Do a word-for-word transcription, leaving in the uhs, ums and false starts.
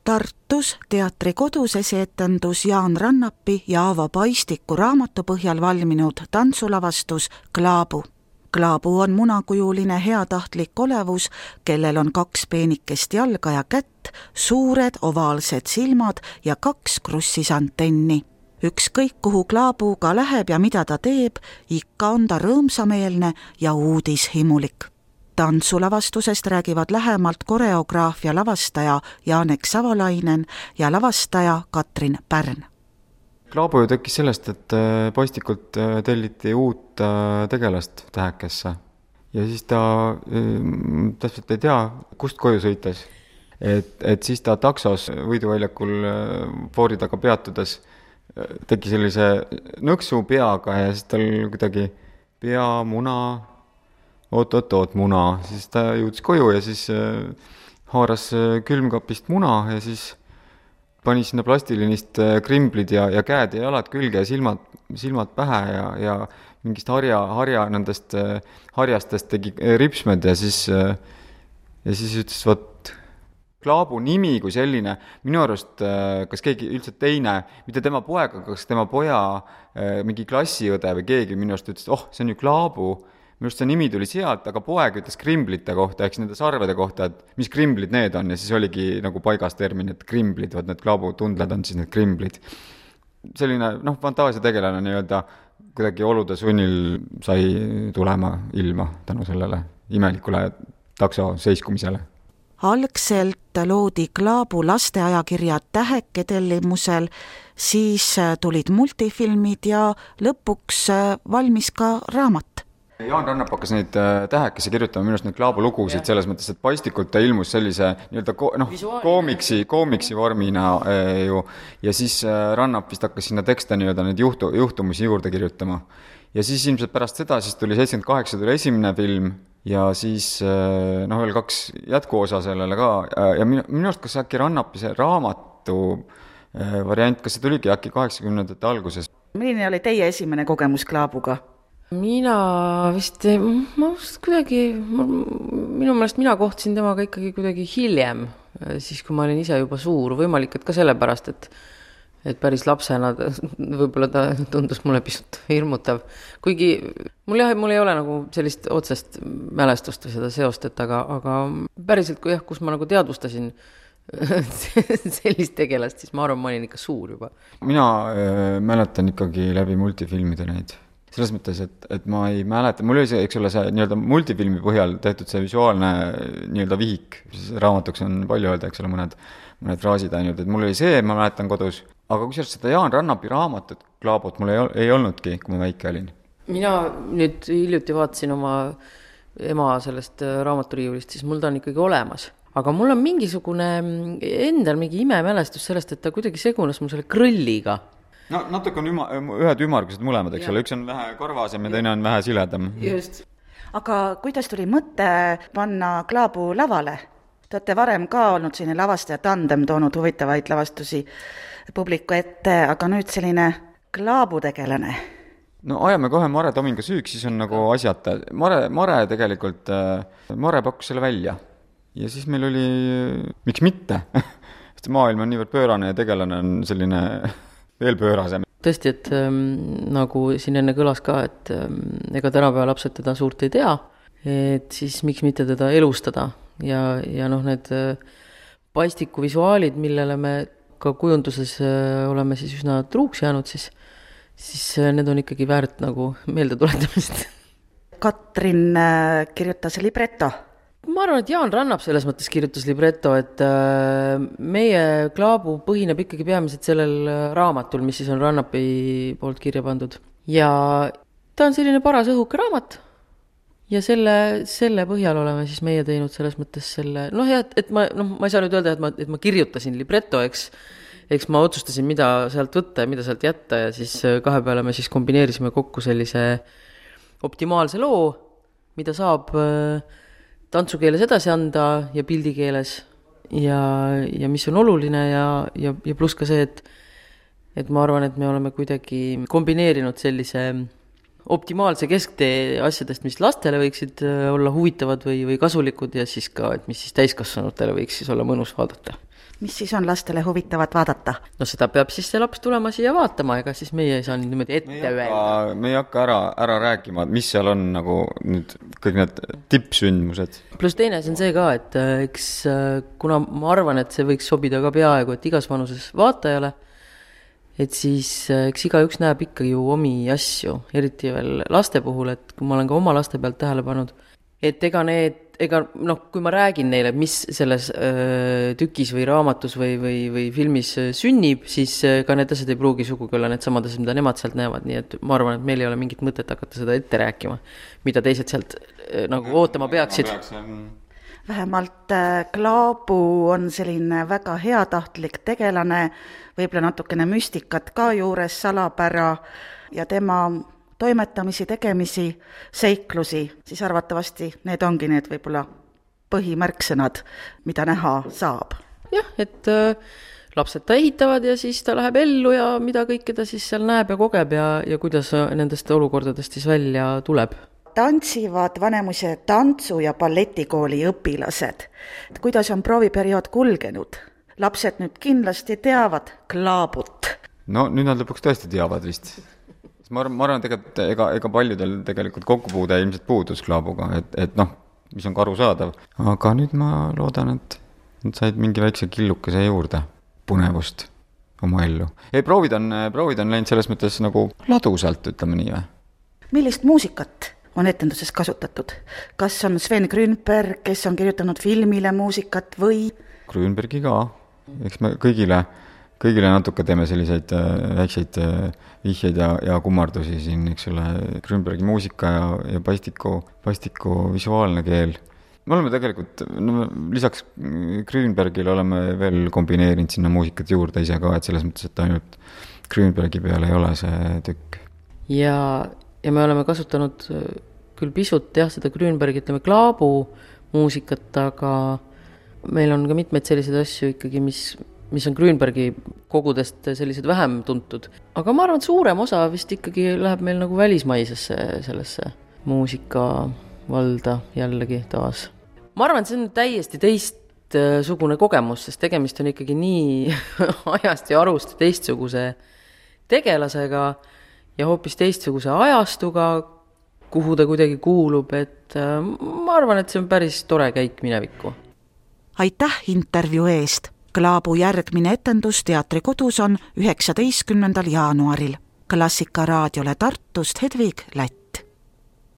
Tartus Teatri Kodus esietendus Jaan Rannapi ja Aavo Paistiku raamatu põhjal valminud tantsulavastus Klaabu. Klaabu on munakujuline heatahtlik olevus, kellel on kaks peenikest jalga ja kätt, suured ovaalsed silmad ja kaks krussisantenni. Ükskõik kuhu Klaabu ka läheb ja mida ta teeb, ikka on ta rõõmsameelne ja uudishimulik. Tantsulavastusest räägivad lähemalt koreograaf ja lavastaja Janek Savolainen ja lavastaja Katrin Pärn. Klaabu ju tekkis sellest, et Paistikult telliti uut tegelast Tähekesse. Ja siis ta täpselt ei tea, kust koju sõites. Et, et siis ta taksos Võiduväljakul foori taga peatudes tegi sellise nõksu peaga ja siis tal kuidagi pea, muna... oot-oot-oot muna, siis ta jõudis koju ja siis haaras külmkapist muna ja siis pani sinna plastilinist krimblid ja, ja käed ja jalad külge ja silmad, silmad pähe ja, ja mingist harja, harja nendest harjastest tegi ripsmed ja siis, ja siis ütles, võt, Klaabu nimi kui selline, minu arust, kas keegi üldse teine, mitte tema poega, kas tema poja mingi klassiõde või keegi minu arust ütles, oh, see on ju Klaabu. Minu arust see nimi tuli sealt, aga poeg ütles krimblite kohta, eks nende sarvede kohta, et mis krimblid need on ja siis oligi nagu paigas termin, et krimblid, vaat need Klaabu tundled on siis need krimblid. Selline, noh, fantaasia tegelane nii-öelda kuidagi olude sunnil sai tulema ilma tänu sellele imelikule takso seiskumisele. Algselt loodi Klaabu lasteajakirja Täheke tellimusel, siis tulid multifilmid ja lõpuks valmis ka raamat. Jaan Rannap hakkas neid Tähekesse kirjutama minust neid Klaabu lugusid selles mõttes, et Paistikult ta ilmus sellise nii-öelda ko- no, koomiksi, koomiksi vormina eh, ju, ja siis Rannap vist hakkas sinna tekste nii-öelda neid juhtu, juhtumusi juurde kirjutama. Ja siis ilmselt pärast seda siis tuli seitsekümmend kaheksa tuli esimene film ja siis noh, veel kaks jätkuosa sellele ka ja minu, minu arust kas äkki Rannapi see raamatu variant, kas see tuligi äkki kaheksakümnendate alguses? Milline oli teie esimene kogemus Klaabuga? Mina vist, ma vist kuidagi, minu meelest mina kohtasin temaga ikkagi kuidagi hiljem, siis kui ma olin ise juba suur, võimalik, et ka sellepärast, et, et päris lapsena võib-olla ta tundus mulle pisut hirmutav. Kuigi mul, jah, mul ei ole nagu sellist otsest mälestust või seda seostet, aga, aga päriselt, kui jah, kus ma nagu teadvustasin sellist tegelast, siis ma arvan, ma olin ikka suur juba. Mina äh, mäletan ikkagi läbi multifilmide neid. Selles mõttes, et, et ma ei mäleta, mul oli see, eks ole, see nii-öelda multifilmi põhjal tehtud see visuaalne nii-öelda vihik, raamatuks on palju öelda, eks ole, mõned, mõned fraasid ainult, et mul oli see, ma mäletan kodus, aga kui seda Jaan Rannapi raamatut Klaabut mul ei, ei olnudki, kui ma väike olin. Mina nüüd hiljuti vaatasin oma ema sellest raamaturiiulist, siis mul ta on ikkagi olemas. Aga mul on mingisugune endal mingi imemälestus sellest, et ta kuidagi segunes mul selle krõlliga. No natuke on üma, ühed ümargused mõlemad, eks ole, üks on vähe karvasem ja teine on vähe siledam. Just. Aga kuidas tuli mõte panna Klaabu lavale? Te olete varem ka olnud selline lavastaja tandem toonud huvitavaid lavastusi publiku ette, aga nüüd selline Klaabu tegelane. No ajame kohe Mare Tominga süüks, siis on nagu asjata. Mare, Mare tegelikult, Mare pakkus selle välja. Ja siis meil oli, miks mitte? Sest maailm on niivõrd pöörane ja tegelane on selline veel pöörasem. Tõesti, et ähm, nagu siin enne kõlas ka, et ähm, ega tänapäeva lapsed teda suurt ei tea, et siis miks mitte teda elustada ja, ja noh, need äh, Paistiku visuaalid, millele me ka kujunduses äh, oleme siis üsna truuks jäänud, siis, siis äh, need on ikkagi väärt nagu meelde tuletamist. Katrin äh, kirjutas libretto. Ma arvan, et Jaan Rannap selles mõttes kirjutas libretto, et meie Klaabu põhineb ikkagi peamiselt sellel raamatul, mis siis on Rannapi poolt kirja pandud. Ja ta on selline paras õhuke raamat ja selle, selle põhjal oleme siis meie teinud selles mõttes selle, noh ja, et ma, noh, ma ei saa nüüd öelda, et ma, et ma kirjutasin libretto, eks, eks ma otsustasin, mida sealt võtta ja mida sealt jätta ja siis kahe peale me siis kombineerisime kokku sellise optimaalse loo, mida saab tantsukeeles edasi anda ja pildikeeles ja, ja mis on oluline ja, ja, ja pluss ka see, et, et ma arvan, et me oleme kuidagi kombineerinud sellise optimaalse kesktee asjadest, mis lastele võiksid olla huvitavad või, või kasulikud ja siis ka, et mis siis täiskasvanutele võiks siis olla mõnus vaadata. mis siis on lastele huvitavat vaadata? No seda peab siis see laps tulema siia vaatama, ega siis meie ei saa niimoodi ette öelda. Me ei hakka ära, ära rääkima, mis seal on nagu nüüd kõik need tippsündmused. Plus teine asi on see ka, et eks kuna ma arvan, et see võiks sobida ka peaaegu, et igas vanuses vaatajale, et siis eks igaüks näeb ikkagi ju omi asju, eriti veel laste puhul, et kui ma olen ka oma laste pealt tähele pannud, et ega need, ega noh, kui ma räägin neile, mis selles öö, tükis või raamatus või, või, või filmis sünnib, siis ka need asjad ei pruugi sugugi olla need samad asjad, mida nemad sealt näevad, nii et ma arvan, et meil ei ole mingit mõtet hakata seda ette rääkima, mida teised sealt öö, nagu ootama peaksid. Vähemalt Klaabu on selline väga heatahtlik tegelane, võib-olla natukene müstikat ka juures, salapära ja tema toimetamisi, tegemisi, seiklusi, siis arvatavasti need ongi need võib-olla põhimärksõnad, mida näha saab. Jah, et äh, lapsed ta ehitavad ja siis ta läheb ellu ja mida kõike ta siis seal näeb ja kogeb ja, ja kuidas nendest olukordadest siis välja tuleb. Tantsivad Vanemuise tantsu- ja balletikooli õpilased. Kuidas on prooviperiood kulgenud? Lapsed nüüd kindlasti teavad Klaabut. No nüüd nad lõpuks tõesti teavad vist. Ma arvan, ma arvan, et ega, ega paljudel tegelikult kokkupuude ilmselt puudus Klaabuga, et, et noh, mis on ka arusaadav. Aga nüüd ma loodan, et nad said mingi väikse killukese juurde punevust oma ellu. Ei, proovid on, proovid on läinud selles mõttes nagu ladusalt, ütleme nii või? Millist muusikat on etenduses kasutatud? Kas on Sven Grünberg, kes on kirjutanud filmile muusikat või? Grünbergi ka. Eks me kõigile kõigile natuke teeme selliseid äh, väikseid äh, vihjeid ja, ja kummardusi siin, eks ole, Grünbergi muusika ja, ja pastiku, pastiku visuaalne keel. Me oleme tegelikult, no, lisaks Grünbergile oleme veel kombineerinud sinna muusikat juurde ise ka, et selles mõttes, et ainult Grünbergi peale ei ole see tükk. Ja, ja me oleme kasutanud küll pisut jah, seda Grünbergi, ütleme, Klaabu muusikat, aga meil on ka mitmeid selliseid asju ikkagi, mis mis on Grünbergi kogudest sellised vähem tuntud. Aga ma arvan, et suurem osa vist ikkagi läheb meil nagu välismaisesse sellesse muusika valda jällegi taas. Ma arvan, et see on täiesti teistsugune kogemus, sest tegemist on ikkagi nii ajast ja arust teistsuguse tegelasega ja hoopis teistsuguse ajastuga, kuhu ta kuidagi kuulub, et ma arvan, et see on päris tore käik minevikku. Aitäh intervjuu eest! Klaabu järgmine etendus Teatrikodus on üheksateistkümnendal jaanuaril. Klassika raadiole Tartust Hedvig Lätt.